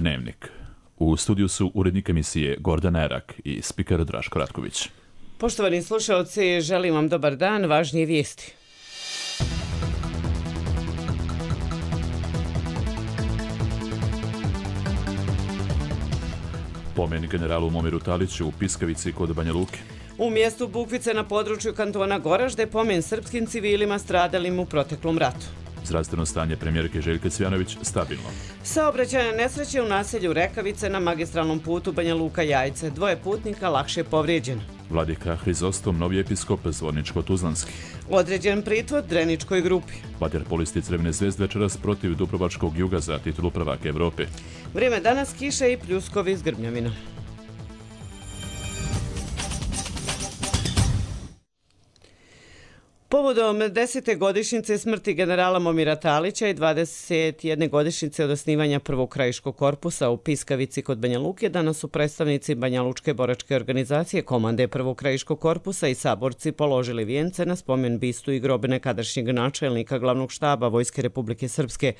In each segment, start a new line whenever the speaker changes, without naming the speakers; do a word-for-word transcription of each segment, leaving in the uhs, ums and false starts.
Dnevnik. U studiju su urednik emisije Gordana Erak i spiker Draško Ratković.
Poštovani slušalci, želim vam dobar dan, važnije vijesti.
Pomen generalu Momiru Taliću u Piskavici kod Banja Luke.
U mjestu Bukvice na području kantona Goražde pomen srpskim civilima stradalim u proteklom ratu.
Zdravstveno stanje premijerke Željke Cvjanović stabilno.
Saobraćajne nesreće u naselju Rekavice na magistralnom putu Banja Luka-Jajce. Dvoje putnika lakše povrijeđeno.
Vladika Hrizostom, novi episkop Zvorničko-Tuzlanski.
Određen pritvor Dreničkoj grupi.
Vaterpolisti Crvene zvezde večeras protiv Dubrovačkog Juga za titulu prvaka Evrope.
Vrijeme danas kiše i pljuskovi s grmljavinom. Povodom desete godišnjice smrti generala Momira Talića i dvadeset jedne godišnjice od osnivanja prvog krajiškog korpusa u Piskavici kod Banja Luke, danas su predstavnici Banja Lučke boračke organizacije, komande prvog krajiškog korpusa i saborci položili vijence na spomen bistu i grobe nekadašnjeg načelnika glavnog štaba Vojske Republike Srpske.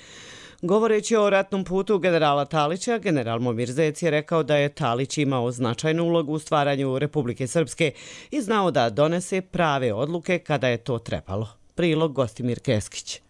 Govoreći o ratnom putu generala Talića, general Momir Zec je rekao da je Talić imao značajnu ulogu u stvaranju Republike Srpske i znao da donese prave odluke kada je to trebalo. Prilog Gostimir Keskić.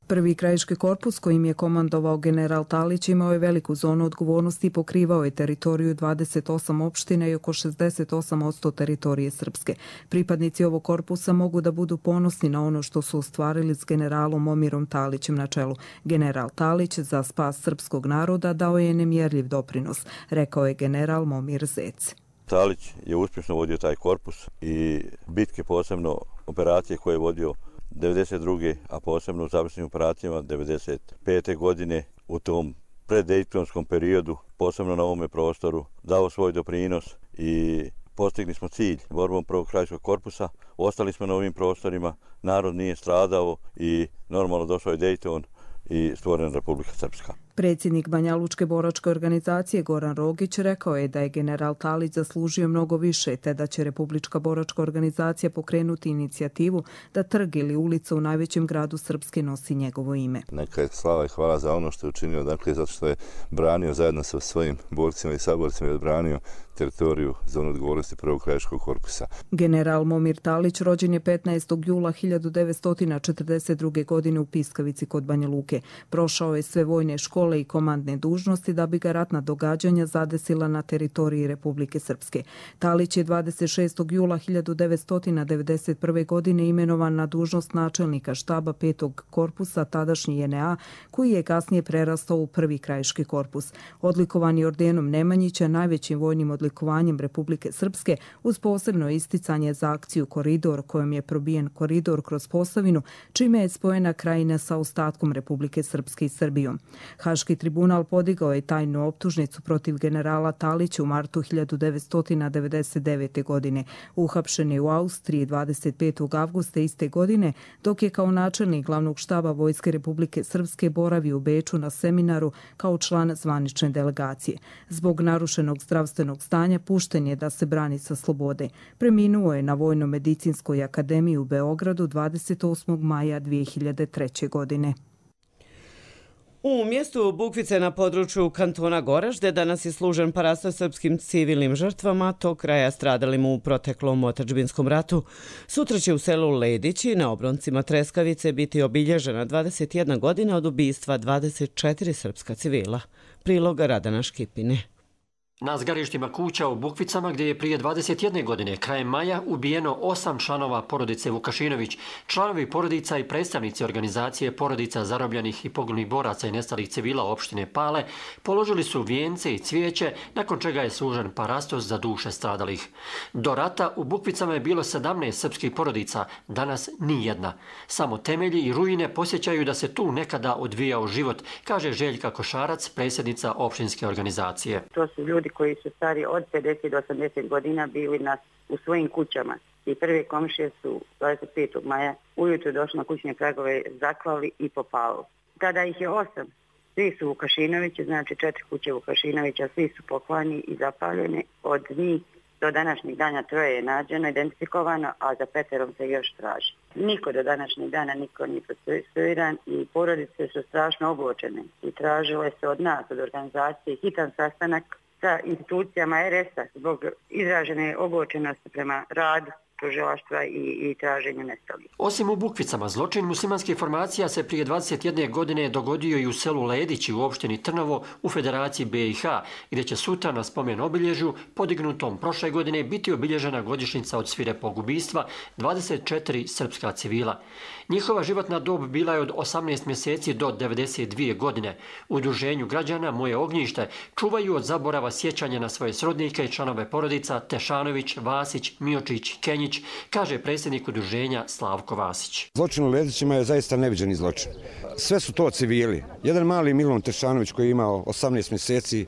Prvi krajiški korpus kojim je komandovao general Talić imao je veliku zonu odgovornosti i pokrivao je teritoriju dvadeset osam opština i oko šezdeset osam posto teritorije Srpske. Pripadnici ovog korpusa mogu da budu ponosni na ono što su ostvarili s generalom Momirom Talićem na čelu. General Talić za spas srpskog naroda dao je nemjerljiv doprinos, rekao je general Momir Zec.
Talić je uspješno vodio taj korpus i bitke, posebno operacije koje je vodio devedeset druge a posebno u završnim operacijama devedeset pete godine u tom preddejtonskom periodu, posebno na ovome prostoru, dao svoj doprinos i postigli smo cilj borbom prvog krajiškog korpusa. Ostali smo na ovim prostorima, narod nije stradao i normalno došao je Dejton i stvorena Republika Srpska.
Predsjednik Banja Lučke boračke organizacije Goran Rogić rekao je da je general Talić zaslužio mnogo više, te da će Republička boračka organizacija pokrenuti inicijativu da trg ili ulica u najvećem gradu Srpske nosi njegovo ime.
Neka je slava i hvala za ono što je učinio, dakle, zato što je branio zajedno sa svojim borcima i saborcima i odbranio teritoriju zonu odgovornosti prvog krajiškog korpusa.
General Momir Talić rođen je petnaestog jula hiljadu devetsto četrdeset druge. godine u Piskavici kod Banja Luke. Prošao je sve vojne škole i komandne dužnosti da bi ga ratna događanja zadesila na teritoriji Republike Srpske. Talić je dvadeset šestog jula hiljadu devetsto devedeset prve. godine imenovan na dužnost načelnika štaba petog korpusa tadašnji J N A, koji je kasnije prerastao u prvi krajiški korpus. Odlikovan je ordenom Nemanjića, najvećim vojnim odlikovanjem Republike Srpske, uz posebno isticanje za akciju Koridor, kojom je probijen koridor kroz Posavinu, čime je spojena krajina sa ostatkom Republike Srpske i Srbijom. Haški tribunal podigao je tajnu optužnicu protiv generala Talića u martu hiljadu devetsto devedeset devete. godine. Uhapšen je u Austriji dvadeset petog avgusta iste godine, dok je kao načelnik glavnog štaba Vojske Republike Srpske boravio u Beču na seminaru kao član zvanične delegacije. Zbog narušenog zdravstvenog stanja pušten je da se brani sa slobode. Preminuo je na Vojno-medicinskoj akademiji u Beogradu dvadeset osmog maja dvije hiljade treće. godine.
U mjestu Bukvice na području kantona Goražde danas je služen parastoj srpskim civilnim žrtvama tog kraja stradalim u proteklom otadžbinskom ratu. Sutra će u selu Ledići na obroncima Treskavice biti obilježena dvadeset jedna godina od ubistva dvadeset četiri srpska civila. Prilog Radana Škipine.
Na zgarištima kuća u Bukvicama, gdje je prije dvadeset jedne godine krajem maja ubijeno osam članova porodice Vukašinović, članovi porodica i predstavnici organizacije porodica zarobljenih i poginulih boraca i nestalih civila opštine Pale položili su vijence i cvijeće, nakon čega je služen parastos za duše stradalih. Do rata u Bukvicama je bilo sedamnaest srpskih porodica, danas ni jedna. Samo temelji i ruine posjećaju da se tu nekada odvijao život, kaže Željka Košarac, predsjednica opštinske organizacije.
To su ljudi koji su stari od pedeset do osamdeset godina bili na, u svojim kućama. I prve komšije su dvadeset petog maja ujutro došli na kućne pragove, zaklali i popali. Tada ih je osam. Svi su Vukašinovići, znači četiri kuće Vukašinovića, svi su poklani i zapaljene. Od njih Do današnjeg dana troje je nađeno, identifikovano, a za peterom se još traži. Niko do današnjeg dana, niko nije procesuiran i porodice su strašno ogorčene i tražile se od nas, od organizacije, hitan sastanak sa institucijama er es a zbog izražene ogorčenosti prema radu tužilaštva i, i traženju nestalih.
Osim u Bukvicama, zločin muslimanskih formacija se prije dvadeset jedne godine dogodio i u selu Ledići u opštini Trnovo u Federaciji be i ha, gdje će sutra na spomen obilježju podignutom prošle godine biti obilježena godišnjica od svirepog ubistva dvadeset četiri srpska civila. Njihova životna dob bila je od osamnaest mjeseci do devedeset dvije godine. U udruženju građana Moje ognjište čuvaju od zaborava sjećanja na svoje srodnike i članove porodica Tešanović, Vasić, Miočić, Kenjić, kaže predsjednik udruženja Slavko Vasić.
Zločin u Ledićima je zaista neviđeni zločin. Sve su to civili. Jedan mali Milun Tešanović koji je imao osamnaest mjeseci,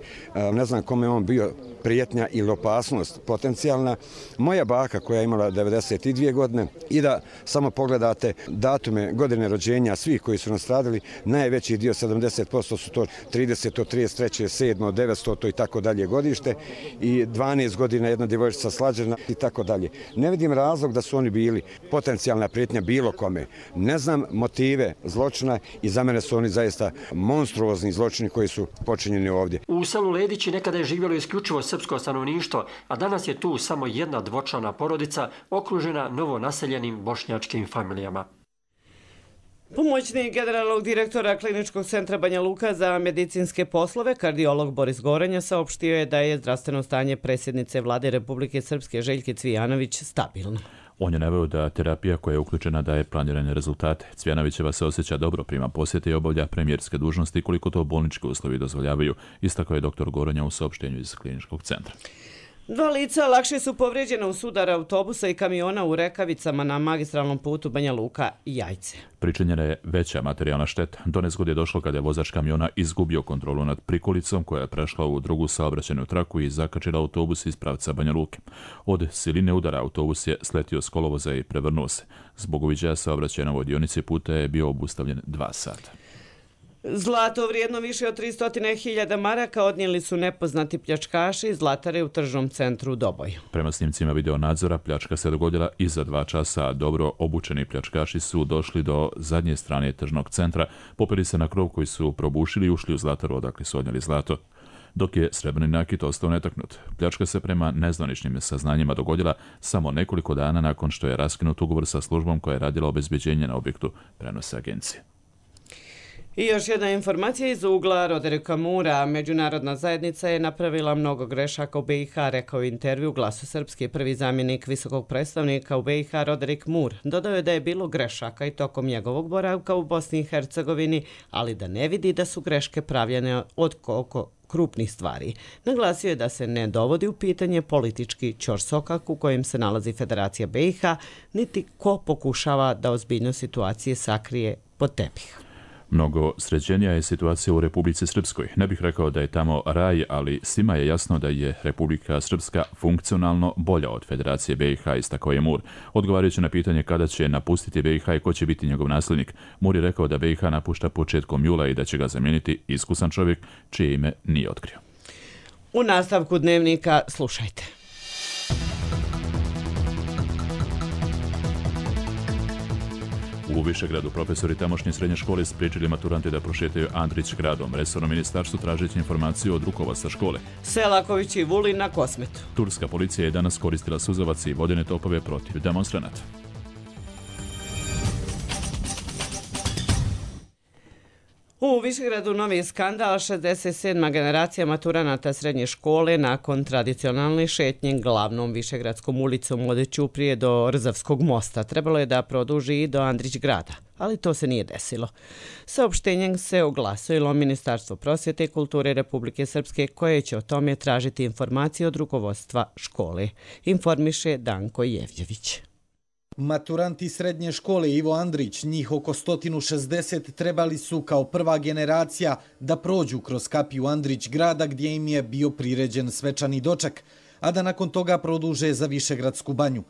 ne znam kome on bio prijetnja ili opasnost potencijalna. Moja baka koja je imala devedeset dvije godine i da samo pogledate datume godine rođenja svih koji su nastradali, najveći dio sedamdeset posto su to trideseto, trideset treće, sedmo, devetsto i tako dalje godište i dvanaest godina jedna djevojčica slađena i tako dalje. Ne vidim razlog da su oni bili potencijalna prijetnja bilo kome. Ne znam motive zločina i za mene su oni zaista monstruozni zločini koji su počinjeni ovdje.
U selu Ledići nekada je živjelo isključivo srpsko stanovništvo, a danas je tu samo jedna dvočlana porodica okružena novonaseljenim bošnjačkim familijama.
Pomoćnik generalnog direktora Kliničkog centra Banja Luka za medicinske poslove, kardiolog Boris Gorenja, saopštio je da je zdravstveno stanje predsjednice Vlade Republike Srpske Željke Cvijanović stabilno.
On je naveo da terapija koja je uključena daje planirane rezultate. Cvijanovićeva se osjeća dobro, prima posjete i obavlja premijerske dužnosti koliko to bolnički uslovi dozvoljavaju, istakao je doktor Gorenja u saopštenju iz Kliničkog centra.
Dva lica lakše su povrijeđena u sudar autobusa i kamiona u Rekavicama na magistralnom putu Banja Luka i Jajce.
Pričinjena je veća materijalna šteta. Do nezgode je došlo kada je vozač kamiona izgubio kontrolu nad prikolicom koja je prešla u drugu saobraćajnu traku i zakačila autobus iz pravca Banja Luke. Od siline udara autobus je sletio s kolovoza i prevrnuo se. Zbog uviđaja saobraćaja na ovoj dionici puta je bio obustavljen dva sata.
Zlato vrijedno više od tristo hiljada maraka odnijeli su nepoznati pljačkaši iz zlatare u tržnom centru u Doboju.
Prema snimcima video nadzora, pljačka se dogodila iza dva časa, a dobro obučeni pljačkaši su došli do zadnje strane tržnog centra, popeli se na krov koji su probušili i ušli u zlataru odakle su odnijeli zlato. Dok je srebrni nakit ostao netaknut. Pljačka se prema nezvaničnim saznanjima dogodila samo nekoliko dana nakon što je raskinut ugovor sa službom koja je radila obezbeđenje na objektu, prenose agencije.
I još jedna informacija iz ugla Roderika Mura. Međunarodna zajednica je napravila mnogo grešaka u be i ha, rekao je intervju Glasu Srpske prvi zamjenik visokog predstavnika u be i ha Roderik Mur. Dodao je da je bilo grešaka i tokom njegovog boravka u Bosni i Hercegovini, ali da ne vidi da su greške pravljene od koliko krupnih stvari. Naglasio je da se ne dovodi u pitanje politički ćorsokak u kojem se nalazi Federacija be i ha, niti ko pokušava da ozbiljnost situacije sakrije pod tepih.
Mnogo sređenija je situacija u Republici Srpskoj. Ne bih rekao da je tamo raj, ali svima je jasno da je Republika Srpska funkcionalno bolja od Federacije be i ha, istakao je Mur. Odgovarajući na pitanje kada će napustiti be i ha i ko će biti njegov nasljednik, Mur je rekao da be i ha napušta početkom jula i da će ga zamijeniti iskusan čovjek čije ime nije otkrio.
U nastavku dnevnika slušajte.
U Višegradu profesori tamošnje srednje škole spriječili maturante da prošetaju Andrić gradom. Resorno ministarstvo tražeći informaciju od rukovodstva škole.
Selaković i Vulin na Kosmetu.
Turska policija je danas koristila suzavac i vodene topove protiv demonstranata.
U Višegradu novi skandal, šezdeset sedma generacija maturanata srednje škole nakon tradicionalne šetnje glavnom Višegradskom ulicom od Ćuprije do Rzavskog mosta. Trebalo je da produži i do Andrić grada, ali to se nije desilo. Saopštenjem se oglasilo Ministarstvo prosvjete i kulture Republike Srpske koje će o tome tražiti informacije od rukovodstva škole. Informiše Danko Jevljević.
Maturanti srednje škole Ivo Andrić, njih oko sto šezdeset, trebali su kao prva generacija da prođu kroz kapiju Andrić grada gdje im je bio priređen svečani doček, a da nakon toga produže za Višegradsku banju.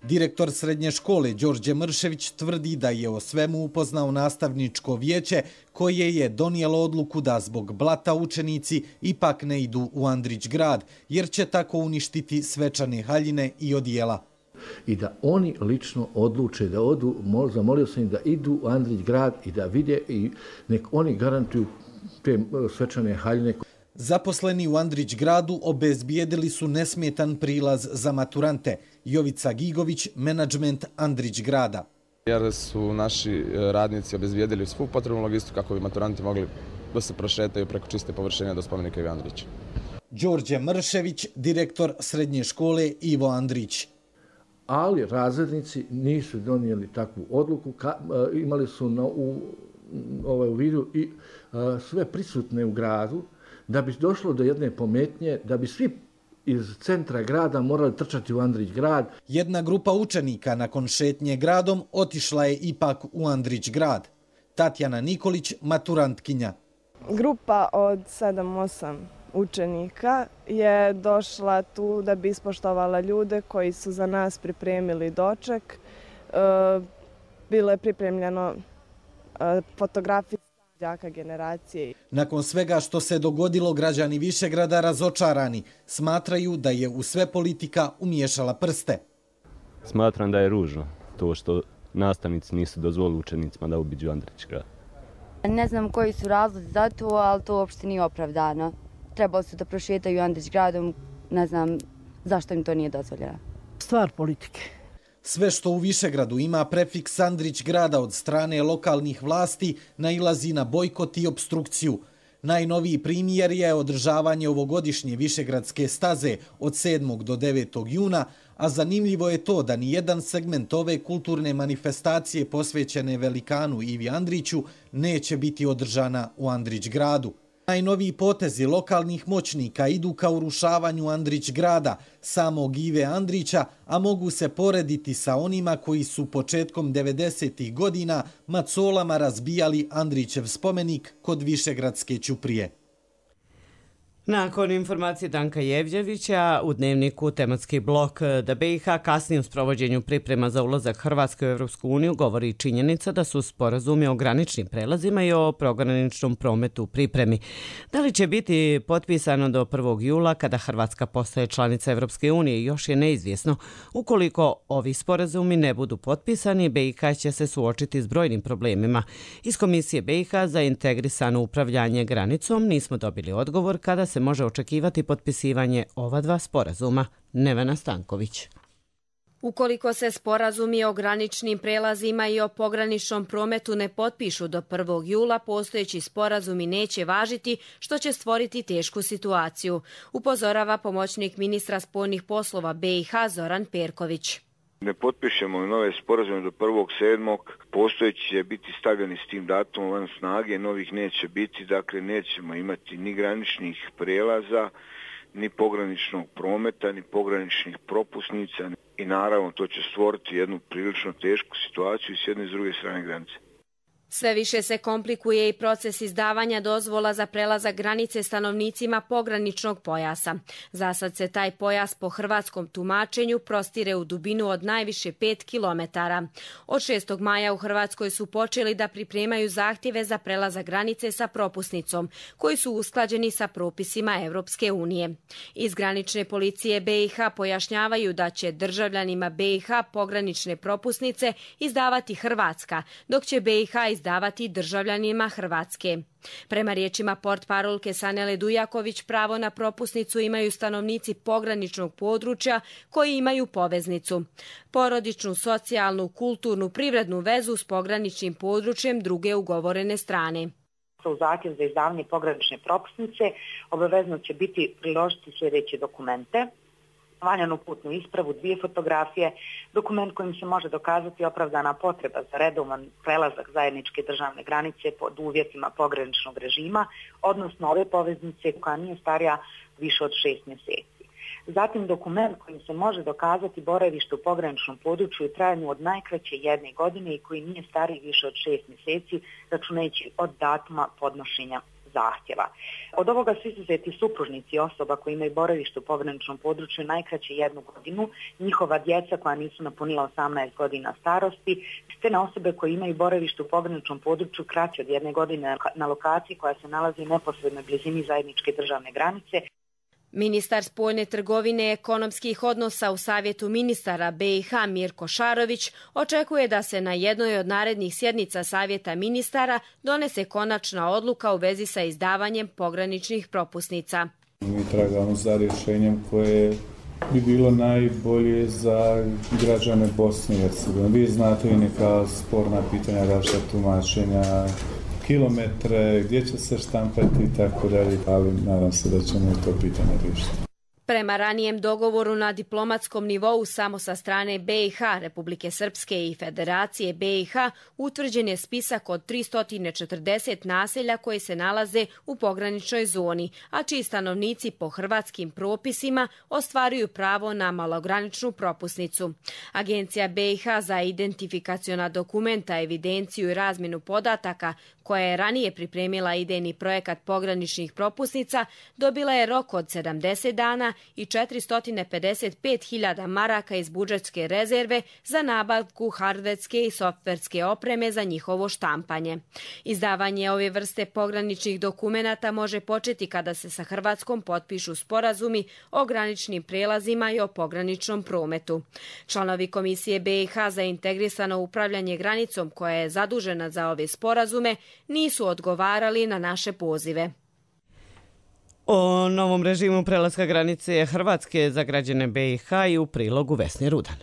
Direktor srednje škole Đorđe Mršević tvrdi da je o svemu upoznao nastavničko vijeće koje je donijelo odluku da zbog blata učenici ipak ne idu u Andrić grad, jer će tako uništiti svečane haljine i odijela.
I da oni lično odluče da odu, zamolio sam im da idu u Andrić grad i da vide i nek oni garantuju te svečane haljine.
Zaposleni u Andrić gradu obezbijedili su nesmetan prilaz za maturante. Jovica Gigović, menadžment Andrić grada.
Jer su naši radnici obezbijedili svu potrebnu logistiku kako bi maturanti mogli da se prošetaju preko čiste površine do spomenika Ivo Andrić.
Đorđe Mršević, direktor srednje škole Ivo Andrić.
Ali razrednici nisu donijeli takvu odluku, ka, imali su na, u, ovaj, u vidu i a, sve prisutne u gradu, da bi došlo do jedne pometnje, da bi svi iz centra grada morali trčati u Andrić grad.
Jedna grupa učenika nakon šetnje gradom otišla je ipak u Andrić grad. Tatjana Nikolić, maturantkinja.
Grupa od sedam osam učenika je došla tu da bi ispoštovala ljude koji su za nas pripremili doček. Bilo je pripremljeno fotografije đaka generacije.
Nakon svega što se dogodilo, građani Višegrada razočarani smatraju da je u sve politika umiješala prste.
Smatram da je ružno to što nastavnici nisu dozvolili učenicima da obiđu Andrić grad.
Ne znam koji su razlozi za to, ali to uopšte nije opravdano. Trebalo su da prošetaju Andrić gradom, ne znam zašto im to nije dozvoljeno.
Stvar politike.
Sve što u Višegradu ima prefiks Andrić grada od strane lokalnih vlasti nailazi na bojkot i obstrukciju. Najnoviji primjer je održavanje ovogodišnje Višegradske staze od sedmog do devetog juna, a zanimljivo je to da nijedan segment ove kulturne manifestacije posvećene velikanu Ivi Andriću neće biti održana u Andrić gradu. Najnoviji potezi lokalnih moćnika idu ka urušavanju Andrić grada, samog Ive Andrića, a mogu se porediti sa onima koji su početkom devedesetih godina macolama razbijali Andrićev spomenik kod Višegradske ćuprije.
Nakon informacije Danka Jevđevića u dnevniku tematski blok da B i H kasnije u sprovođenju priprema za ulazak Hrvatske u Evropsku uniju govori činjenica da su sporazumi o graničnim prelazima i o pograničnom prometu u pripremi. Da li će biti potpisano do prvog jula kada Hrvatska postaje članica Evropske unije još je neizvjesno. Ukoliko ovi sporazumi ne budu potpisani, B i H će se suočiti s brojnim problemima. Iz Komisije B i H za integrisano upravljanje granicom nismo dobili odgovor kada se se može očekivati potpisivanje ova dva sporazuma. Nevena Stanković.
Ukoliko se sporazumi o graničnim prelazima i o pograničnom prometu ne potpišu do prvog jula, postojeći sporazumi neće važiti, što će stvoriti tešku situaciju, upozorava pomoćnik ministra spoljnih poslova B i H Zoran Perković.
Ne potpišemo nove sporazume do prvog sedmog, postojeći će biti stavljeni s tim datumom van snage, novih neće biti, dakle nećemo imati ni graničnih prelaza, ni pograničnog prometa, ni pograničnih propusnica i naravno to će stvoriti jednu prilično tešku situaciju s jedne i s druge strane granice.
Sve više se komplikuje i proces izdavanja dozvola za prelazak granice stanovnicima pograničnog pojasa. Zasad se taj pojas po hrvatskom tumačenju prostire u dubinu od najviše pet kilometara. Od šestog maja u Hrvatskoj su počeli da pripremaju zahtjeve za prelazak granice sa propusnicom, koji su usklađeni sa propisima Evropske unije. Iz granične policije B i H pojašnjavaju da će državljanima B i H pogranične propusnice izdavati Hrvatska, dok će B i H izdavati davati državljanima Hrvatske. Prema riječima portparolke Sanele Dujaković, pravo na propusnicu imaju stanovnici pograničnog područja koji imaju poveznicu, porodičnu, socijalnu, kulturnu, privrednu vezu s pograničnim područjem druge ugovorene strane.
U zahtjev za izdavanje pogranične propusnice obavezno će biti priložiti sljedeće dokumente: valjanu putnu ispravu, dvije fotografije, dokument kojim se može dokazati opravdana potreba za redovan prelazak zajedničke državne granice pod uvjetima pograničnog režima, odnosno ove poveznice koja nije starija više od šest mjeseci. Zatim dokument kojim se može dokazati boravište u pograničnom području u trajanju od najkraće jedne godine i koji nije stariji više od šest mjeseci, računajući od datuma podnošenja zahtjeva. Od ovoga su izuzeti supružnici osoba koji imaju boravište u pograničnom području najkraće jednu godinu, njihova djeca koja nisu napunila osamnaest godina starosti, te na osobe koje imaju boravište u pograničnom području kraće od jedne godine na lokaciji koja se nalazi u neposrednoj blizini zajedničke državne granice.
Ministar spoljne trgovine i ekonomskih odnosa u Savjetu ministara B i H Mirko Šarović očekuje da se na jednoj od narednih sjednica Savjeta ministara donese konačna odluka u vezi sa izdavanjem pograničnih propusnica.
Mi tragamo za rješenjem koje bi bilo najbolje za građane Bosne i Hercegovine. Vi znate i neka sporna pitanja, različita tumačenja, kilometre, gdje će se štampati i tako dalje, ali nadam se da ćemo i to pitanje riješiti.
Prema ranijem dogovoru na diplomatskom nivou samo sa strane B i H, Republike Srpske i Federacije B i H utvrđen je spisak od tristo četrdeset naselja koje se nalaze u pograničnoj zoni, a čiji stanovnici po hrvatskim propisima ostvaruju pravo na malograničnu propusnicu. Agencija B i H za identifikaciona dokumenta, evidenciju i razmjenu podataka, koja je ranije pripremila idejni projekat pograničnih propusnica, dobila je rok od sedamdeset dana i četiristo pedeset pet hiljada maraka iz budžetske rezerve za nabavku hardverske i softverske opreme za njihovo štampanje. Izdavanje ove vrste pograničnih dokumenata može početi kada se sa Hrvatskom potpišu sporazumi o graničnim prelazima i o pograničnom prometu. Članovi Komisije B i H za integrisano upravljanje granicom, koja je zadužena za ove sporazume, nisu odgovarali na naše pozive.
O novom režimu prelaska granice Hrvatske za građane B i H i u prilogu Vesne Rudan.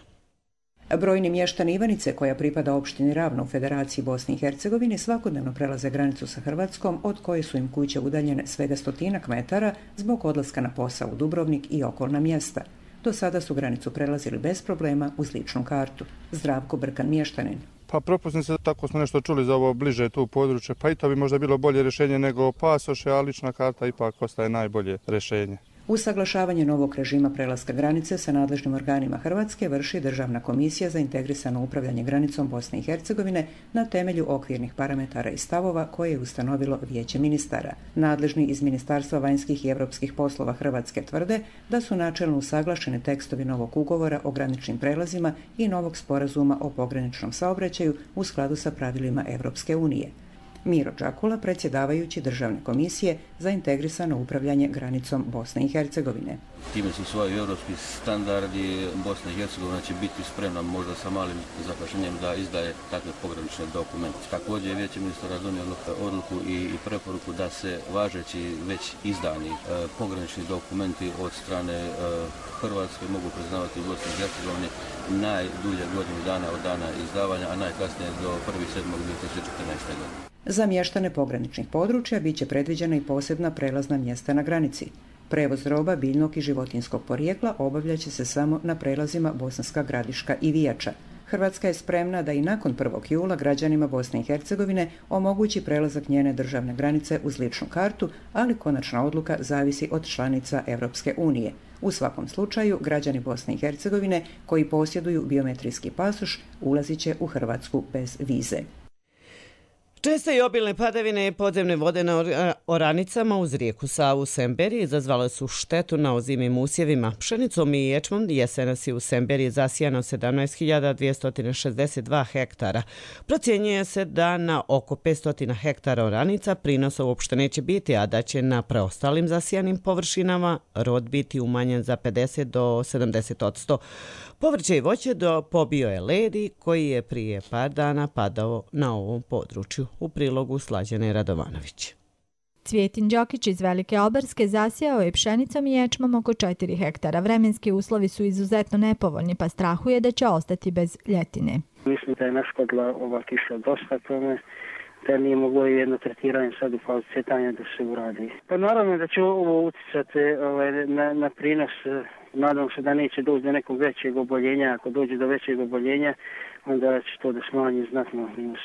Brojni mještani Ivanice, koja pripada opštini Ravno u Federaciji Bosne i Hercegovine, svakodnevno prelaze granicu sa Hrvatskom, od koje su im kuće udaljene svega stotinak metara zbog odlaska na posao u Dubrovnik i okolna mjesta. Do sada su granicu prelazili bez problema uz ličnu kartu. Zdravko Brkan, mještanin.
Pa propusnice, tako smo nešto čuli za ovo bliže tu područje, pa i to bi možda bilo bolje rješenje nego pasoše, a lična karta ipak ostaje najbolje rješenje.
Usaglašavanje novog režima prelaska granice sa nadležnim organima Hrvatske vrši Državna komisija za integrisano upravljanje granicom Bosne i Hercegovine na temelju okvirnih parametara i stavova koje je ustanovilo Vijeće ministara. Nadležni iz Ministarstva vanjskih i europskih poslova Hrvatske tvrde da su načelno usaglašeni tekstovi novog ugovora o graničnim prelazima i novog sporazuma o pograničnom saobraćaju u skladu sa pravilima Europske unije. Miro Đakula, predsjedavajući Državne komisije za integrisano upravljanje granicom Bosne i Hercegovine.
Time su svoji europski standardi, Bosna i Hercegovina će biti spremna možda sa malim zakašnjenjem da izdaje takve pogranične dokumente. Također je Vijeće ministara donijelo odluku i, i preporuku da se važeći već izdani e, pogranični dokumenti od strane e, Hrvatske mogu priznavati u Bosni i Hercegovini najdulje godinu dana od dana izdavanja, a najkasnije do prvog sedmog dvije tisuće četrnaeste. godine.
Za mještane pograničnih područja bit će predviđena i posebna prelazna mjesta na granici. Prevoz roba, biljnog i životinjskog porijekla obavljaće se samo na prelazima Bosanska Gradiška i Vijača. Hrvatska je spremna da i nakon prvog jula građanima Bosne i Hercegovine omogući prelazak njene državne granice uz ličnu kartu, ali konačna odluka zavisi od članica Europske unije. U svakom slučaju, građani Bosne i Hercegovine koji posjeduju biometrijski pasoš ulazit će u Hrvatsku bez vize.
Česte i obilne padavine i podzemne vode na oranicama uz rijeku Savu u Semberiji izazvale su štetu na ozimim usjevima. Pšenicom i ječmom jesenas je u Semberiji zasijano sedamnaest hiljada dvjesto šezdeset dva hektara. Procjenjuje se da na oko petsto hektara oranica prinosa uopšte neće biti, a da će na preostalim zasijanim površinama rod biti umanjen za pedeset do sedamdeset odsto. Povrće i voće do pobio je ledi koji je prije par dana padao na ovom području. U prilogu Slađane Radovanović.
Cvjetin Đokić iz Velike Albarske zasijao je pšenicom i ječmom oko četiri hektara. Vremenski uslovi su izuzetno nepovoljni, pa strahuje da će ostati bez ljetine.
Mislim da je naškodila ova kiša dosta tome, da nije moglo jedno tretiranje sad u fazi cvjetanja da se uradi. Pa naravno da će ovo utjecati ovaj, na, na prinos. Nadam se da neće doći do nekog većeg oboljenja. Ako dođe do većeg oboljenja, onda će to da smanji znatno minus.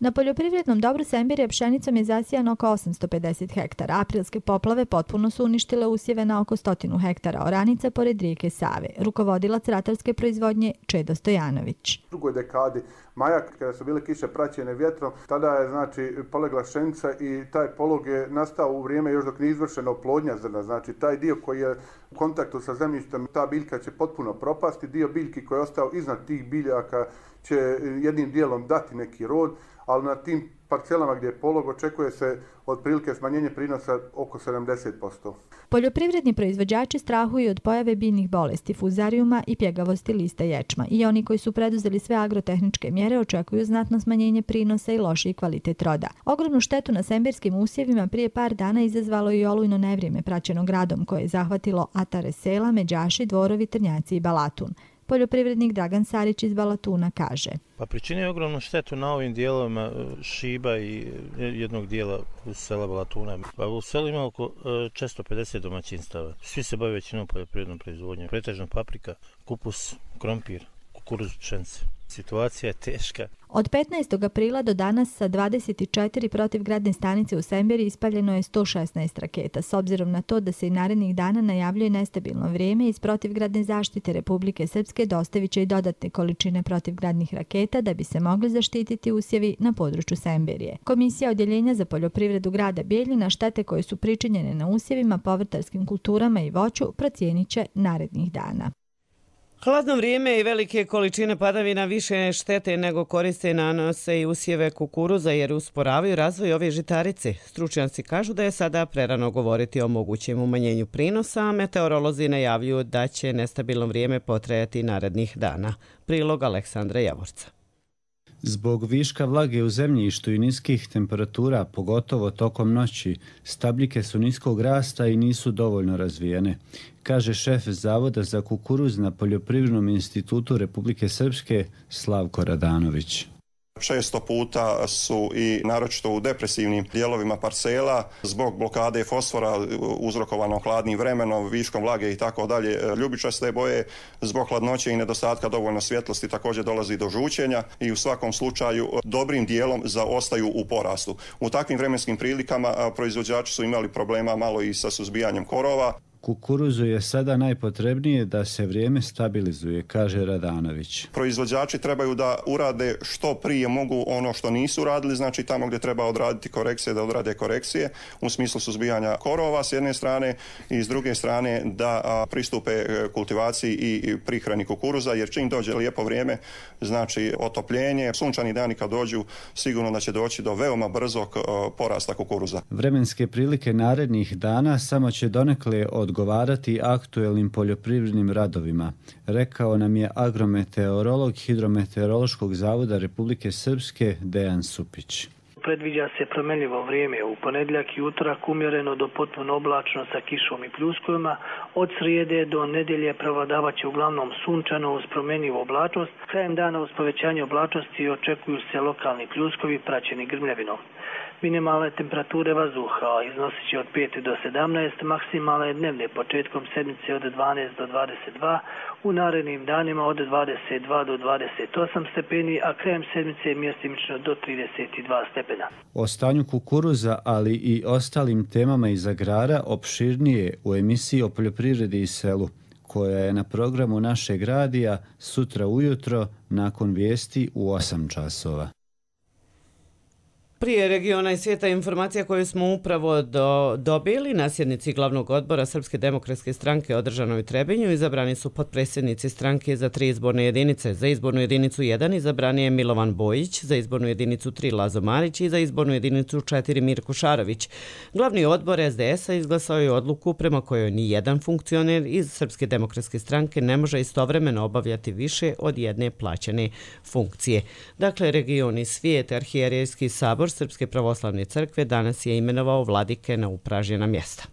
Na poljoprivrednom dobru Sembirija pšenicom je zasijano oko osamsto pedeset hektara. Aprilske poplave potpuno su uništile usjeve na oko stotinu hektara oranica pored rijeke Save. Rukovodilac ratarske proizvodnje Čedo Stojanović.
U drugoj dekadi maja, kada su bile kiše praćene vjetrom, tada je znači polegla pšenica i taj polog je nastao u vrijeme još dok nije izvršena oplodnja zrna. Znači taj dio koji je u kontaktu sa zemljištem, ta biljka će potpuno propasti. Dio biljki koji je ostao iznad tih biljaka će jednim dijelom dati neki rod, ali na tim parcelama gdje je polog očekuje se otprilike smanjenje prinosa oko sedamdeset posto.
Poljoprivredni proizvođači strahuju od pojave biljnih bolesti, fuzarijuma i pjegavosti lista ječma. I oni koji su preduzeli sve agrotehničke mjere očekuju znatno smanjenje prinosa i lošiji kvalitet roda. Ogromnu štetu na sembirskim usjevima prije par dana izazvalo i olujno nevrijeme praćeno gradom koje je zahvatilo atare sela, Međaši, Dvorovi, Trnjaci i Balatun. Poljoprivrednik Dragan Sarić iz Balatuna kaže.
Pa pričinio ogromnu štetu na ovim dijelovima Šiba i jednog dijela u sela Balatuna. Pa u selu ima oko četiristo pedeset domaćinstava. Svi se bave većinom poljoprivrednom proizvodnjom. Pretežno paprika, kupus, krompir, kukuruz, pšenice. Situacija je teška.
Od petnaestog aprila do danas sa dvadeset četiri protivgradne stanice u Sembiri ispaljeno je sto šesnaest raketa. S obzirom na to da se i narednih dana najavljuje nestabilno vrijeme, iz protivgradne zaštite Republike Srpske dostavit će i dodatne količine protivgradnih raketa da bi se mogli zaštititi usjevi na području Sembirije. Komisija Odjeljenja za poljoprivredu grada Bijeljina štete koje su pričinjene na usjevima, povrtarskim kulturama i voću procijenit će narednih dana.
Hladno vrijeme i velike količine padavina više štete nego koriste nanose i usjeve kukuruza jer usporavaju razvoj ove žitarice. Stručnjaci kažu da je sada prerano govoriti o mogućem umanjenju prinosa, a meteorolozi najavljuju da će nestabilno vrijeme potrajati narednih dana. Prilog Aleksandra Javorca.
Zbog viška vlage u zemljištu i niskih temperatura, pogotovo tokom noći, stabljike su niskog rasta i nisu dovoljno razvijene, kaže šef Zavoda za kukuruz na Poljoprivrednom institutu Republike Srpske Slavko Radanović.
Često puta su i naročito u depresivnim dijelovima parcela zbog blokade fosfora uzrokovano hladnim vremenom, viškom vlage i tako dalje ljubičaste boje, zbog hladnoće i nedostatka dovoljno svjetlosti također dolazi do žučenja i u svakom slučaju dobrim dijelom zaostaju u porastu. U takvim vremenskim prilikama proizvođači su imali problema malo i sa suzbijanjem korova.
Kukuruzu je sada najpotrebnije da se vrijeme stabilizuje, kaže Radanović.
Proizvođači trebaju da urade što prije mogu ono što nisu radili, znači tamo gdje treba odraditi korekcije, da odrade korekcije u smislu suzbijanja korova s jedne strane i s druge strane da a, pristupe kultivaciji i prihrani kukuruza, jer čim dođe lijepo vrijeme, znači otopljenje, sunčani dani kad dođu, sigurno da će doći do veoma brzog a, porasta kukuruza.
Vremenske prilike narednih dana samo će donekle od odgovarati aktuelnim poljoprivrednim radovima, rekao nam je agrometeorolog Hidrometeorološkog zavoda Republike Srpske Dejan Supić.
Predviđa se promjenljivo vrijeme u ponedjeljak i utorak umjereno do potpuno oblačno sa kišom i pljuskovima. Od srijede do nedjelje prevladavat će uglavnom sunčano uz promjenljivu oblačnost. Krajem dana uz povećanje oblačnosti očekuju se lokalni pljuskovi praćeni grmljavinom. Minimalne temperature vazduha iznosit će od pet do sedamnaest, maksimalne dnevne početkom sedmice od dvanaest do dvadeset dva, u narednim danima od dvadeset dva do dvadeset osam stepeni, a krajem sedmice mjestimično do trideset dva stepena.
O stanju kukuruza, ali i ostalim temama iz agrara opširnije u emisiji o poljoprivredi i selu, koja je na programu našeg radija sutra ujutro nakon vijesti u osam časova.
Prije regiona i svijeta informacija koju smo upravo do, dobili na sjednici glavnog odbora Srpske demokratske stranke održanoj u Trebinju izabrani su potpredsjednici stranke za tri izborne jedinice. Za izbornu jedinicu jedan izabran je Milovan Bojić, za izbornu jedinicu tri Lazo Marić i za izbornu jedinicu četiri Mirko Šarović. Glavni odbor es de es a izglasao je odluku prema kojoj ni jedan funkcioner iz Srpske demokratske stranke ne može istovremeno obavljati više od jedne plaćene funkcije. Dakle, region i svijet, arhijerejski sabor Srpske pravoslavne crkve danas je imenovao vladike na upražnjena mjesta.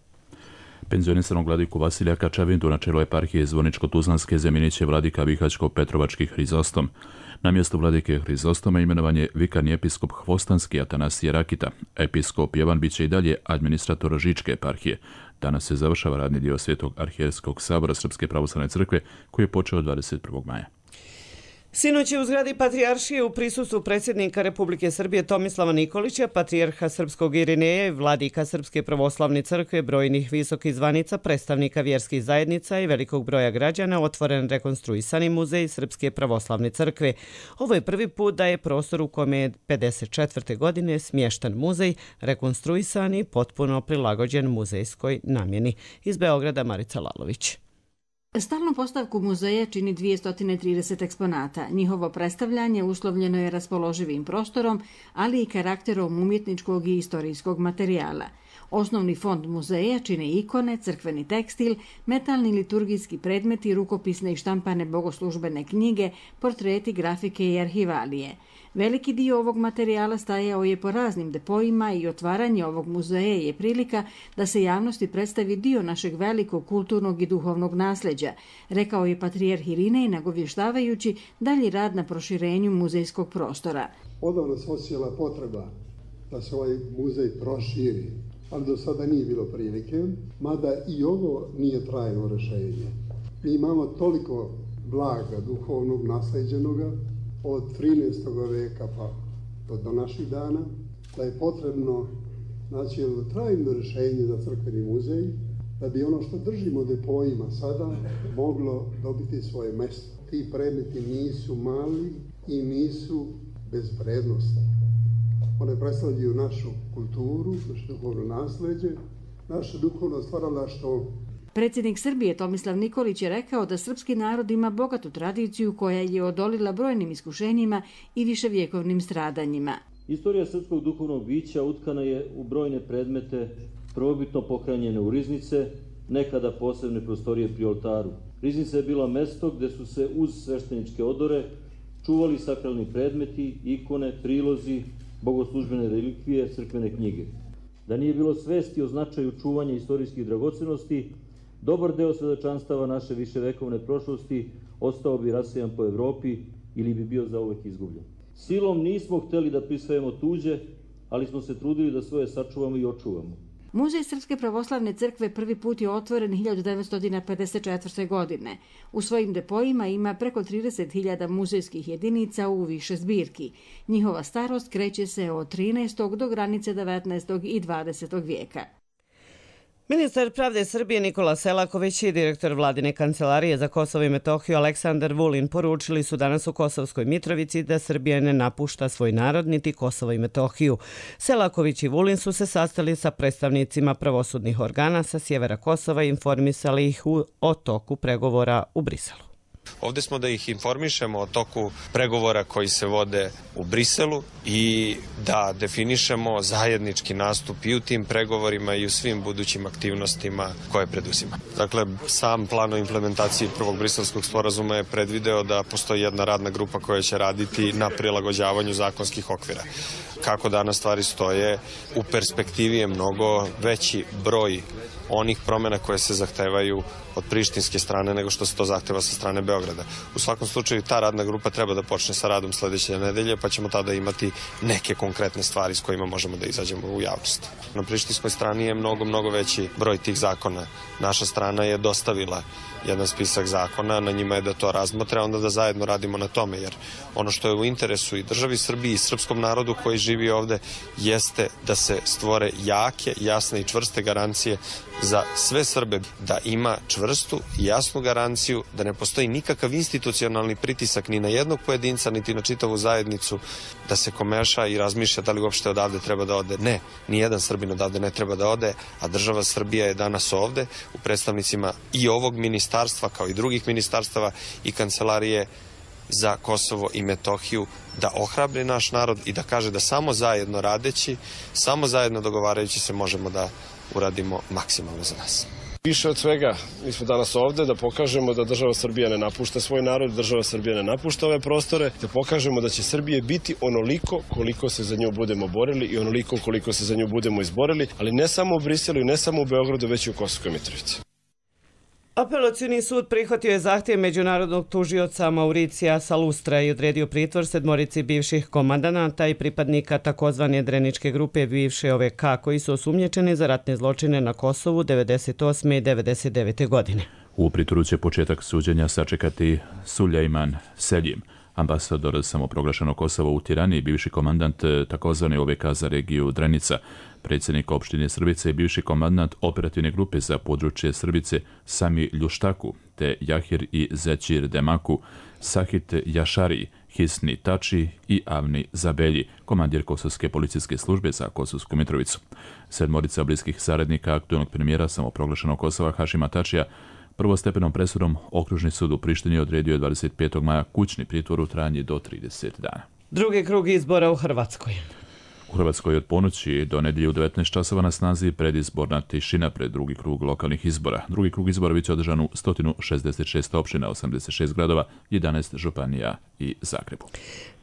Penzionisanog vladiku Vasilija Kačavindu na čelo eparhije Zvoničko-Tuzlanske zamijenit će vladika Bihaćko-Petrovački Hrizostom. Na mjesto vladike Hrizostoma imenovan je vikarni episkop Hvostanski Atanasije Rakita. Episkop Jevan bit će i dalje administrator Žičke eparhije. Danas se završava radni dio Svetog arhijerskog sabora Srpske pravoslavne crkve koji je počeo dvadeset prvog maja.
Sinoć je u zgradi Patrijaršije u prisustvu predsjednika Republike Srbije Tomislava Nikolića, patrijarha Srpskog Irineja i vladika Srpske pravoslavne crkve, brojnih visokih zvanica, predstavnika vjerskih zajednica i velikog broja građana otvoren rekonstruisani muzej Srpske pravoslavne crkve. Ovo je prvi put da je prostor u kome je pedeset četvrte godine smješten muzej rekonstruisan i potpuno prilagođen muzejskoj namjeni. Iz Beograda Marica Lalović.
Stalnu postavku muzeja čini dvjesto trideset eksponata. Njihovo predstavljanje uslovljeno je raspoloživim prostorom, ali i karakterom umjetničkog i istorijskog materijala. Osnovni fond muzeja čine ikone, crkveni tekstil, metalni liturgijski predmeti, rukopisne i štampane bogoslužbene knjige, portreti, grafike i arhivalije. Veliki dio ovog materijala stajao je po raznim depojima i otvaranje ovog muzeja je prilika da se javnosti predstavi dio našeg velikog kulturnog i duhovnog nasljeđa, rekao je patrijarh Irinej nagovještavajući dalji rad na proširenju muzejskog prostora.
Odavno se osjećala potreba da se ovaj muzej proširi, ali do sada nije bilo prilike, mada i ovo nije trajno rješenje. Mi imamo toliko blaga duhovnog nasleđenoga od trinaestog veka pa do naših dana, da je potrebno naći jedno trajno rješenje za crkveni muzej, da bi ono što držimo depojima sada moglo dobiti svoje mjesto. Ti predmeti nisu mali i nisu bez vrednosti. One predstavljaju našu kulturu, naše duhovno nasljeđe, naše duhovno stvaralaštvo.
Predsjednik Srbije Tomislav Nikolić je rekao da srpski narod ima bogatu tradiciju koja je odolila brojnim iskušenjima i viševjekovnim stradanjima.
Istorija srpskog duhovnog bića utkana je u brojne predmete, prvobitno pohranjene u riznice, nekada posebne prostorije pri oltaru. Riznica je bila mesto gdje su se uz svešteničke odore čuvali sakralni predmeti, ikone, prilozi, bogoslužbene relikvije, crkvene knjige. Da nije bilo svesti o značaju čuvanja istorijskih dragocenosti, dobar deo svedočanstava naše viševekovne prošlosti ostao bi rasejan po Evropi ili bi bio zauvek izgubljen. Silom nismo htjeli da prisvajamo tuđe, ali smo se trudili da svoje sačuvamo i očuvamo.
Muzej Srpske pravoslavne crkve prvi put je otvoren hiljadu devetsto pedeset četvrte. godine. U svojim depojima ima preko trideset hiljada muzejskih jedinica u više zbirki. Njihova starost kreće se od trinaestog do granice devetnaestog i dvadesetog vijeka.
Ministar pravde Srbije Nikola Selaković i direktor vladine kancelarije za Kosovo i Metohiju Aleksandar Vulin poručili su danas u Kosovskoj Mitrovici da Srbija ne napušta svoj narod niti Kosovo i Metohiju. Selaković i Vulin su se sastali sa predstavnicima pravosudnih organa sa sjevera Kosova i informisali ih o toku pregovora u Briselu.
Ovdje smo da ih informišemo o toku pregovora koji se vode u Briselu i da definišemo zajednički nastup i u tim pregovorima i u svim budućim aktivnostima koje preduzima. Dakle, sam plan o implementaciji prvog briselskog sporazuma je predvideo da postoji jedna radna grupa koja će raditi na prilagođavanju zakonskih okvira. Kako danas stvari stoje, u perspektivi je mnogo veći broj onih promjena koje se zahtevaju od prištinske strane nego što se to zahteva sa strane Beograda. U svakom slučaju ta radna grupa treba da počne sa radom sljedeće nedelje, pa ćemo tada imati neke konkretne stvari s kojima možemo da izađemo u javnost. Na prištinskoj strani je mnogo, mnogo veći broj tih zakona. Naša strana je dostavila jedan spisak zakona, na njima je da to razmotre, onda da zajedno radimo na tome, jer ono što je u interesu i državi Srbiji i srpskom narodu koji živi ovde jeste da se stvore jake, jasne i čvrste garancije za sve Srbe, da ima čvrstu i jasnu garanciju da ne postoji nikakav institucionalni pritisak ni na jednog pojedinca, niti na čitavu zajednicu, da se komeša i razmišlja da li uopšte odavde treba da ode. Ne, nijedan Srbin odavde ne treba da ode, a država Srbija je danas ovde u predstavnicima i ovog ministarstva kao i drugih ministarstava i kancelarije za Kosovo i Metohiju da ohrabri naš narod i da kaže da samo zajedno radeći, samo zajedno dogovarajući se možemo da uradimo maksimalno za nas.
Više od svega, mi smo danas ovde da pokažemo da država Srbija ne napušta svoj narod, država Srbija ne napušta ove prostore, da pokažemo da će Srbije biti onoliko koliko se za nju budemo borili i onoliko koliko se za nju budemo izborili, ali ne samo u Briselu i ne samo u Beogradu, već i u Kosovskoj Mitrovici.
Apelacioni sud prihvatio je zahtjev međunarodnog tužioca Mauricija Salustra i odredio pritvor sedmorici bivših komandanata i pripadnika takozvane Dreničke grupe bivše O V K koji su osumnjičeni za ratne zločine na Kosovu devedeset osme i devedeset devete godine.
U pritvoru će početak suđenja sačekati Sulejman Seljim. Ambasador samoproglašenog Kosova u Tirani i bivši komandant takozvane O V K za regiju Drenica, predsjednik opštine Srbice i bivši komandant operativne grupe za područje Srbice Sami Ljuštaku, te Jahir i Zećir Demaku, Sahit Jašari, Hisni Tači i Avni Zabelji, komandir Kosovske policijske službe za Kosovsku Mitrovicu. Sedmorica bliskih saradnika aktualnog premijera samoproglašenog Kosova Hašima Tačija prvostepenom presudom Okružni sud u Prištini odredio je dvadeset petog maja kućni pritvor u trajanju do trideset dana.
Drugi krug izbora u Hrvatskoj.
U Hrvatskoj od ponoći do nedjelje u devetnaest časova na snazi predizborna tišina pred drugi krug lokalnih izbora. Drugi krug izbora biće održan u sto šezdeset šest opština, osamdeset šest gradova, jedanaest županija i Zagrebu.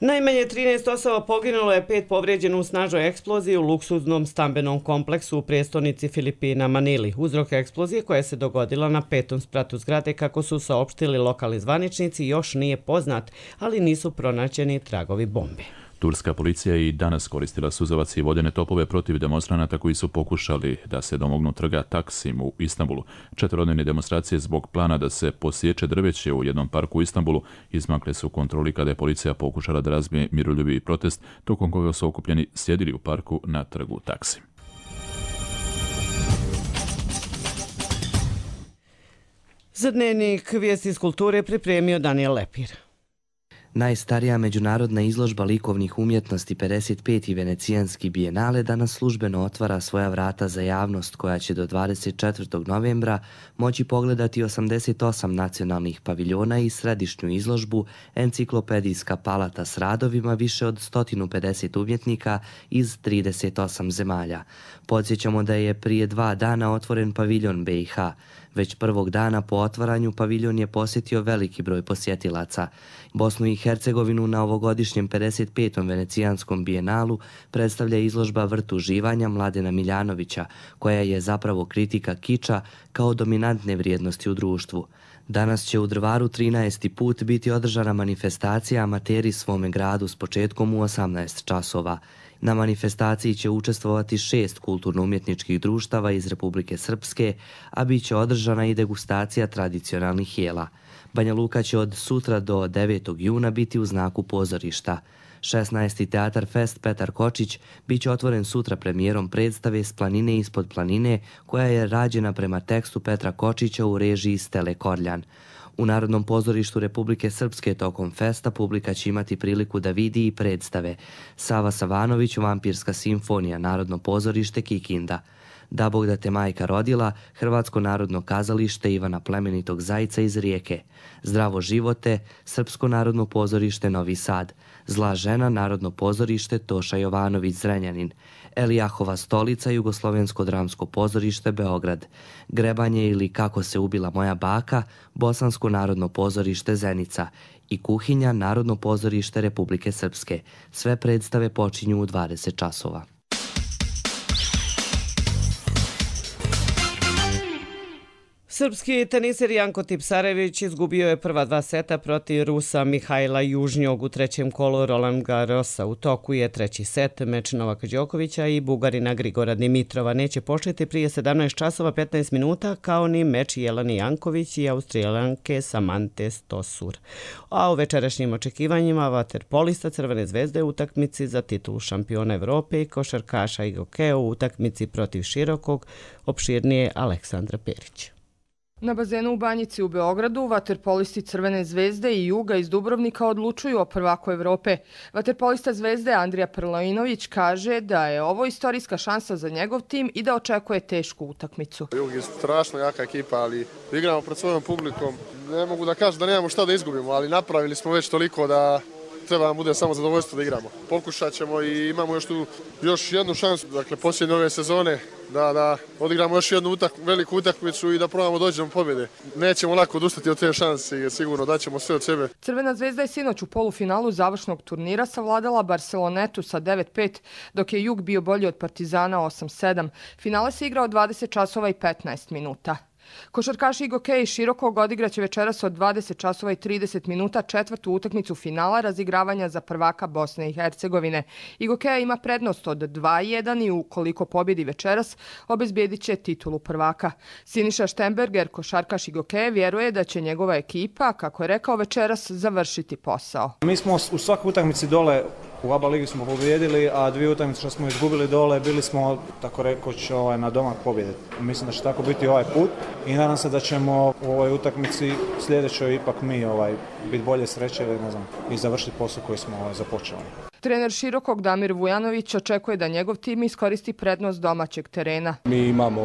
Najmanje trinaest osoba poginulo je, pet povrijeđeno u snažnoj eksploziji u luksuznom stambenom kompleksu u prijestolnici Filipina Manili. Uzrok eksplozije koja se dogodila na petom spratu zgrade, kako su saopštili lokalni zvaničnici, još nije poznat, ali nisu pronađeni tragovi bombe.
Turska policija i danas koristila suzavac i vodene topove protiv demonstranata koji su pokušali da se domognu trga Taksim u Istanbulu. Četverodnevne demonstracije zbog plana da se posječe drveće u jednom parku u Istanbulu izmakle su kontroli kada je policija pokušala da razbije miroljubivi protest, tokom koga su okupljeni sjedili u parku na trgu Taksim.
Za dnevnik vijesti iz kulture pripremio Daniel Lepir.
Najstarija međunarodna izložba likovnih umjetnosti pedeset peti Venecijanski bijenale danas službeno otvara svoja vrata za javnost, koja će do dvadeset četvrtog novembra moći pogledati osamdeset osam nacionalnih paviljona i središnju izložbu Enciklopedijska palata s radovima više od sto pedeset umjetnika iz trideset osam zemalja. Podsjećamo da je prije dva dana otvoren paviljon B i H. Već prvog dana po otvaranju paviljon je posjetio veliki broj posjetilaca. Bosnu i Hercegovinu na ovogodišnjem pedeset petom Venecijanskom bijenalu predstavlja izložba Vrt uživanja Mladena Miljanovića, koja je zapravo kritika kiča kao dominantne vrijednosti u društvu. Danas će u Drvaru trinaesti put biti održana manifestacija Amateri svome gradu s početkom u osamnaest časova. Na manifestaciji će učestvovati šest kulturno-umjetničkih društava iz Republike Srpske, a bit će održana i degustacija tradicionalnih jela. Banja Luka će od sutra do devetog juna biti u znaku pozorišta. šesnaesti Teatar Fest Petar Kočić bit će otvoren sutra premijerom predstave S planine ispod planine, koja je rađena prema tekstu Petra Kočića u režiji Stele Korljan. U Narodnom pozorištu Republike Srpske tokom festa publika će imati priliku da vidi i predstave Sava Savanović, Vampirska simfonija, Narodno pozorište Kikinda, Da Bog da te majka rodila, Hrvatsko narodno kazalište Ivana Plemenitog Zajca iz Rijeke, Zdravo živote, Srpsko narodno pozorište Novi Sad, Zla žena, Narodno pozorište Toša Jovanović Zrenjanin, Elijahova stolica, Jugoslovensko dramsko pozorište Beograd, Grebanje ili Kako se ubila moja baka, Bosansko narodno pozorište Zenica i Kuhinja, Narodno pozorište Republike Srpske. Sve predstave počinju u dvadeset časova.
Srpski teniser Janko Tipsarević izgubio je prva dva seta protiv Rusa Mihajla Južnjog u trećem kolu Roland Garrosa. U toku je treći set, meč Novaka Đokovića i Bugarina Grigora Dimitrova neće početi prije sedamnaest časova petnaest minuta, kao ni meč Jelani Janković i Austrijanke Samante Stosur. A u večerašnjim očekivanjima vaterpolista Crvene zvezde u utakmici za titulu šampiona Evrope i košarkaša i hokeja u utakmici protiv širokog, opširnije Aleksandra Perić.
Na bazenu u Banjici u Beogradu vaterpolisti Crvene zvezde i Juga iz Dubrovnika odlučuju o prvaku Evrope. Vaterpolista Zvezde Andrija Prlojinović kaže da je ovo istorijska šansa za njegov tim i da očekuje tešku utakmicu.
Jug je strašno jaka ekipa, ali igramo pred svojom publikom. Ne mogu da kažem da nemamo šta da izgubimo, ali napravili smo već toliko da treba nam bude samo zadovoljstvo da igramo. Pokušat ćemo i imamo još tu još jednu šansu, dakle posljednje ove sezone, da, da odigramo još jednu utak, veliku utakmicu i da probamo doći do pobjede. Nećemo lako odustati od te šanse jer sigurno daćemo sve od sebe.
Crvena zvezda je sinoć u polufinalu završnog turnira savladala Barcelonetu sa devet pet, dok je Jug bio bolji od Partizana osam sedam. Finale se igrao dvadeset časova i petnaest minuta. Košarkaši Igokeja iz Širokog odigraće večeras od dvadeset časova i trideset minuta četvrtu utakmicu finala razigravanja za prvaka Bosne i Hercegovine. Igokeja ima prednost od dva jedan i ukoliko pobjedi večeras, obezbijedit će titulu prvaka. Siniša Štemberger, košarkaš Igokeja, vjeruje da će njegova ekipa, kako je rekao, večeras završiti posao.
Mi smo u svakoj utakmici dole, u A B A ligi smo pobjedili, a dvije utakmice što smo izgubili dole, bili smo, tako rekoć, ovaj, na domak pobjede. Mislim da će tako biti ovaj put i nadam se da ćemo u ovoj utakmici sljedećoj ipak mi ovaj, biti bolje sreće ne znam, i završiti posao koji smo ovaj, započeli.
Trener Širokog Damir Vujanović očekuje da njegov tim iskoristi prednost domaćeg terena.
Mi imamo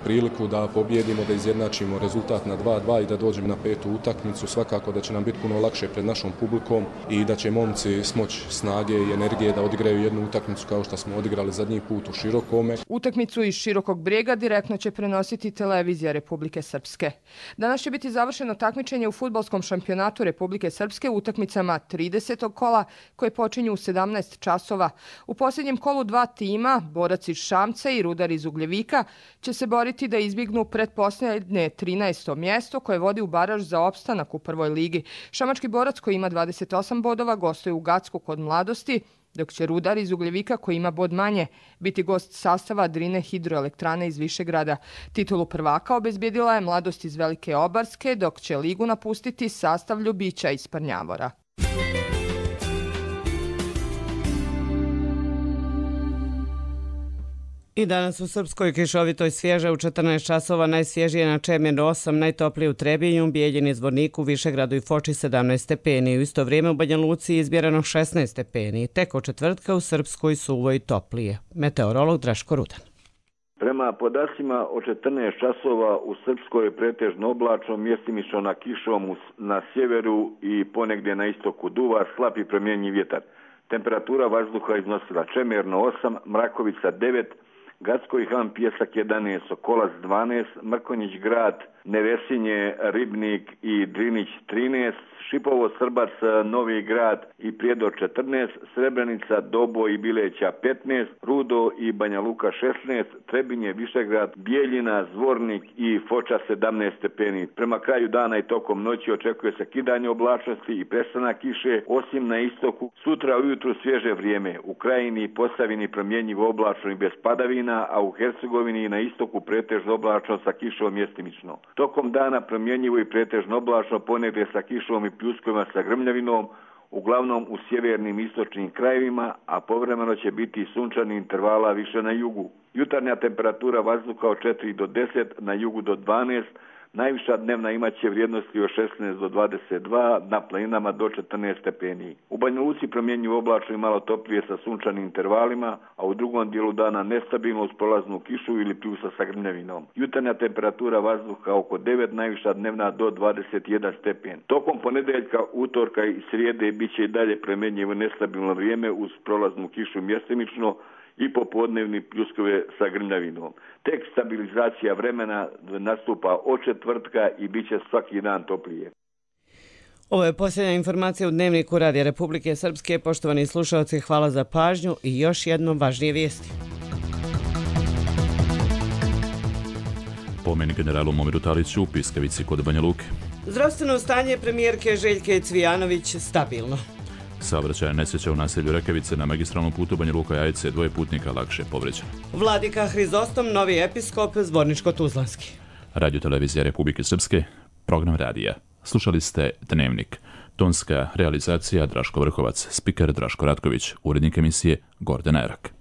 priliku da pobjedimo, da izjednačimo rezultat na dva dva i da dođemo na petu utakmicu. Svakako da će nam biti puno lakše pred našom publikom i da će momci smoći snage i energije da odigraju jednu utakmicu kao što smo odigrali zadnji put u Širokome.
Utakmicu iz Širokog Brijega direktno će prenositi televizija Republike Srpske. Danas će biti završeno takmičenje u fudbalskom šampionatu Republike Srpske u utakmicama tridesetog kola koje počinju u sedamnaest časova. U posljednjem kolu dva tima, Borac iz Šamca i Rudar iz Ugljevika, će se boriti da izbjegnu pretposljednje trinaesto mjesto koje vodi u baraž za opstanak u prvoj ligi. Šamački Borac koji ima dvadeset osam bodova gostuje u Gacku kod Mladosti, dok će Rudar iz Ugljevika koji ima bod manje biti gost sastava Drine hidroelektrane iz Višegrada. Titulu prvaka obezbijedila je Mladost iz Velike Obarske, dok će ligu napustiti sastav Ljubića iz Prnjavora.
I danas u Srpskoj kišovitoj svježe u četrnaest časova, najsvježije na Čemenu osam, najtoplije u Trebinju, Bijeljini, Zvorniku, Višegradu i Foči sedamnaest stepeni. U isto vrijeme u Banja Luci izmjereno šesnaest stepeni. Tek od četvrtka u Srpskoj suvo i toplije. Meteorolog Draško Rudan.
Prema podacima od četrnaest časova u Srpskoj je pretežno oblačno, mjestimično na kišom na sjeveru i ponegdje na istoku duva, slab i promjenjiv vjetar. Temperatura vazduha iznosila Čemerno osam, Mrakovica devet, Gacko i Han Pjesak jedanaest, Sokolac dvanaest, Mrkonjić Grad, Nevesinje, Ribnik i Drinić trinaest, Šipovo, Srbac, Novi Grad i Prijedor četrnaest, Srebrenica, Dobo i Bileća petnaest, Rudo i Banja Luka šesnaest, Trebinje, Višegrad, Bijeljina, Zvornik i Foča sedamnaest stepeni. Prema kraju dana i tokom noći očekuje se kidanje oblačnosti i prestanak kiše, osim na istoku. Sutra ujutru svježe vrijeme, u Krajini i Posavini promjenjivo oblačno i bez padavina, a u Hercegovini i na istoku pretežno oblačno sa kišom mjestimično. Tokom dana promjenjivo i pretežno oblačno, ponegdje sa kišom i pljuskovima sa grmljavinom, uglavnom u sjevernim i istočnim krajevima, a povremeno će biti sunčani intervala više na jugu. Jutarnja temperatura vazduha od četiri do deset, na jugu do dvanaest, najviša dnevna imaće vrijednosti od šesnaest do dvadeset dva, na planinama do četrnaest stepeni. U Banja Luci promjenjivo oblačno i malo toplije sa sunčanim intervalima, a u drugom dijelu dana nestabilno uz prolaznu kišu ili pljusa sa grmljavinom. Jutarnja temperatura vazduha oko devet, najviša dnevna do dvadeset jedan stepen. Tokom ponedeljka, utorka i srijede bit će i dalje promjenjivo nestabilno vrijeme uz prolaznu kišu mjestimično i popodnevni pljuskove sa grmljavinom. Tek stabilizacija vremena nastupa od četvrtka i bit će svaki dan toplije.
Ovo je posljednja informacija u Dnevniku Radija Republike Srpske. Poštovani slušalci, hvala za pažnju i još jednom važnije vijesti.
Pomen generalu Momiru Taliću u Piskavici kod Banja Luke.
Zdravstveno stanje premijerke Željke Cvijanović stabilno.
Saobraćajna nesreća u naselju Rekavice na magistralnom putu Banja Luka Jajce, dvoje putnika lakše povređeno.
Vladika Hrizostom, novi episkop, Zvorničko-Tuzlanski.
Radio televizija Republike Srpske, program radija. Slušali ste Dnevnik. Tonska realizacija Draško Vrhovac, spiker Draško Ratković, urednik emisije Gordana Erak.